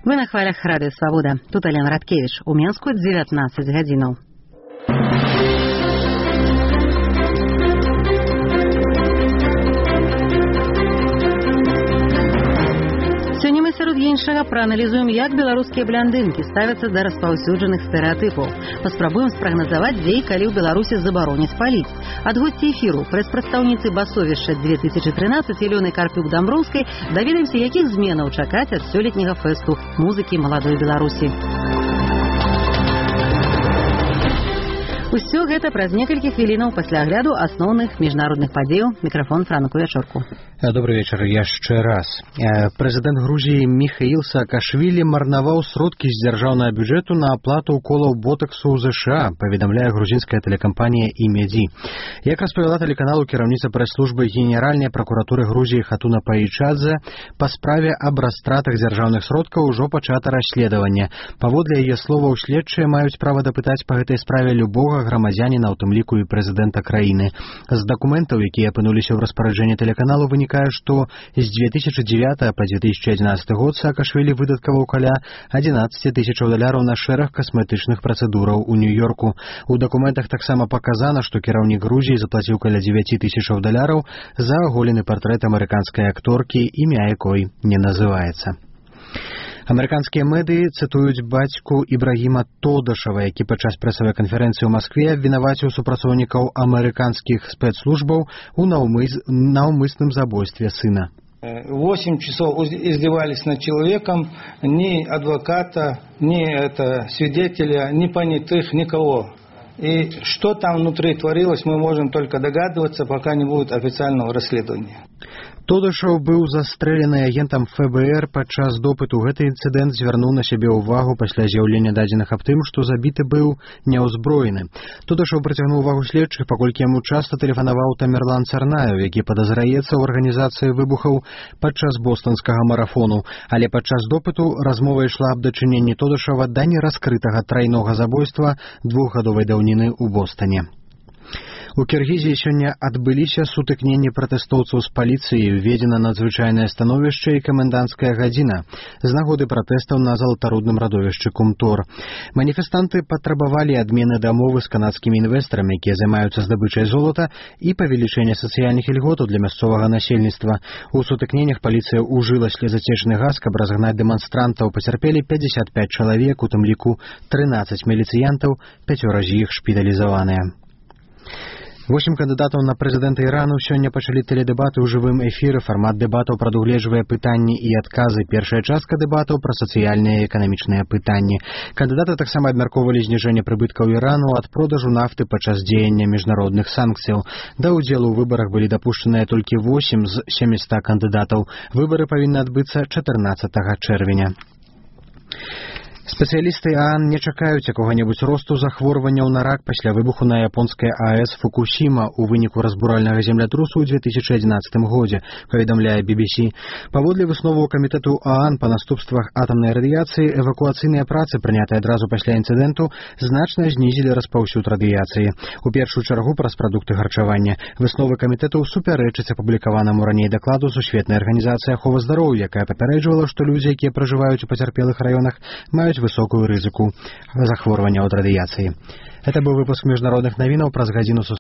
Вы на хвалях Радыё Свабода. Тут Алена Радкевич. У Менску 19 гадзінаў. Сёння мы сярод іншага прааналізуем, як беларускія бландынкі ставяцца да распаўсюджаных стэрэатыпаў. Паспрабуем спрагназаваць, дзе і калі ў Беларусі забароняць паліць. Ад госці эфіру, прэс-прадстаўніцы басовішча 2013 Ілёны Карпюк-Дамброўскай даведаемся, якіх зменаў чакаць ад сёлетняга фэсту музыкі маладой Беларусі. Усё гэта праз некалькі хвілінаў пасля агляду асноўных міжнародных падзеяў. Мікрафон Франку Вячорку. Добрый вечер яшчэ раз. Прэзідэнт Грузіі Міхаіл Саакашвілі марнаваў сродкі з дзяржаўнага бюджэту на аплату уколаў ботаксу ў ЗША, паведамляе грузінская тэлекампанія «Имеди». Як распавяла тэлеканалу кіраўніца прэс-службы Генеральнай пракуратуры Грузіі Хатуна Паічадзе, па справе аб растратах дзяржаўных сродкаў ужо пачата расследаванне. Паводле яе словаў, следчыя маюць права дапытаць па гэтай справе любога грамадзяніна, у тым ліку і прэзідэнта краіны. З дакументаў, якія апынуліся ў распараджэнні тэлеканалу, вынікае, што з 2009 па 2011 год Саакашвілі выдаткаваў каля $11 000 на шэраг касметычных працэдураў у Нью-Йорку. У дакументах таксама паказана, што кіраўнік Грузіі заплаціў каля $9 000 за аголены партрэт амерыканскай акторкі, імя якой не называецца. Амерыканскія медыі цытуюць бацьку Ібрагіма Тодашава, які падчас прэсавай канферэнцыі ў Маскве абвінаваціў супрацоўнікаў амерыканскіх спецслужбаў у наўмысным забойстве сына. 8 часов издевались над человеком, ни адвоката, ни свидетеля, ни понятых, никого. И что там внутри творилось, мы можем только догадываться, пока не будет официального расследования. Тодашаў быў застрэлены агентам ФБР падчас допыту. Гэты інцыдэнт звярнуў на сябе ўвагу пасля з'яўлення дадзеных аб тым, што забіты быў няўзброены. Тодашаў прыцягнуў увагу следчых, паколькі яму часта тэлефанаваў Тамерлан Царнаев, які падазраецца ў арганізацыі выбухаў падчас бостанскага марафону. Але падчас допыту размова ішла аб дачыненні Тодашава да нераскрытага трайнога забойства 2-гадовай даўніны ў Бостане. У Кіргізіі сёння адбыліся сутыкненні пратэстоўцаў з паліцыяй, уведзена надзвычайнае становішча і каменданцкая гадзіна з нагоды пратэстаў на золотарудным радовішчы Кумтор. Маніфестанты патрабавалі адмены дамовы з канадскімі інвестарамі, якія займаюцца здабычай золата, і павелічэння сацыяльных ільготаў для мясцовага насельніцтва. У сутыкненнях паліцыя ўжыла слезацечны газ, каб разгнаць дэманстрантаў. Пацярпелі 55 чалавек, у тым ліку 13 міліцыянтаў, 5 з іх шпіталізаваныя. 8 кандыдатаў на прэзідэнта Ірану сёння пачалі тэледэбаты ў жывым эфіры. Фармат дэбатаў прадугледжвае пытанні і адказы. Першая частка дэбатаў пра сацыяльныя і эканамічныя пытанні. Кандыдаты таксама абмяркоўвалі зніжэнне прыбыткаў Ірану ад продажу нафты падчас дзеяння міжнародных санкцыяў. Да ўдзелу ў выбарах былі дапушчаныя толькі 8 з 700 кандыдатаў. Выбары павінны адбыцца 14 чэрвеня. Спецыялісты ААН не чакаюць якога-небудзь росту захворванняў на рак пасля выбуху на японскай АЭС Фукусіма ў выніку разбуральнага землятрусу ў 2011 годзе, паведамляе BBC. Паводле высноваў камітэту ААН па наступствах атамнай радыяцыі, эвакуацыйныя працы, прынятыя адразу пасля інцыдэнту, значна знізілі распаўсюд радыяцыі. У першую чаргу праз прадукты харчавання. Высновы камітэту супярэчаць апублікаванаму раней дакладу Сусветнай арганізацыі аховы здароўя, якая папярэджвала, што людзі, якія пражываюць у пацярпелых раёнах, маюць высокую рызыку захворвання ад радыяцыі. Это быў выпуск міжнародных навінаў праз гадзіну.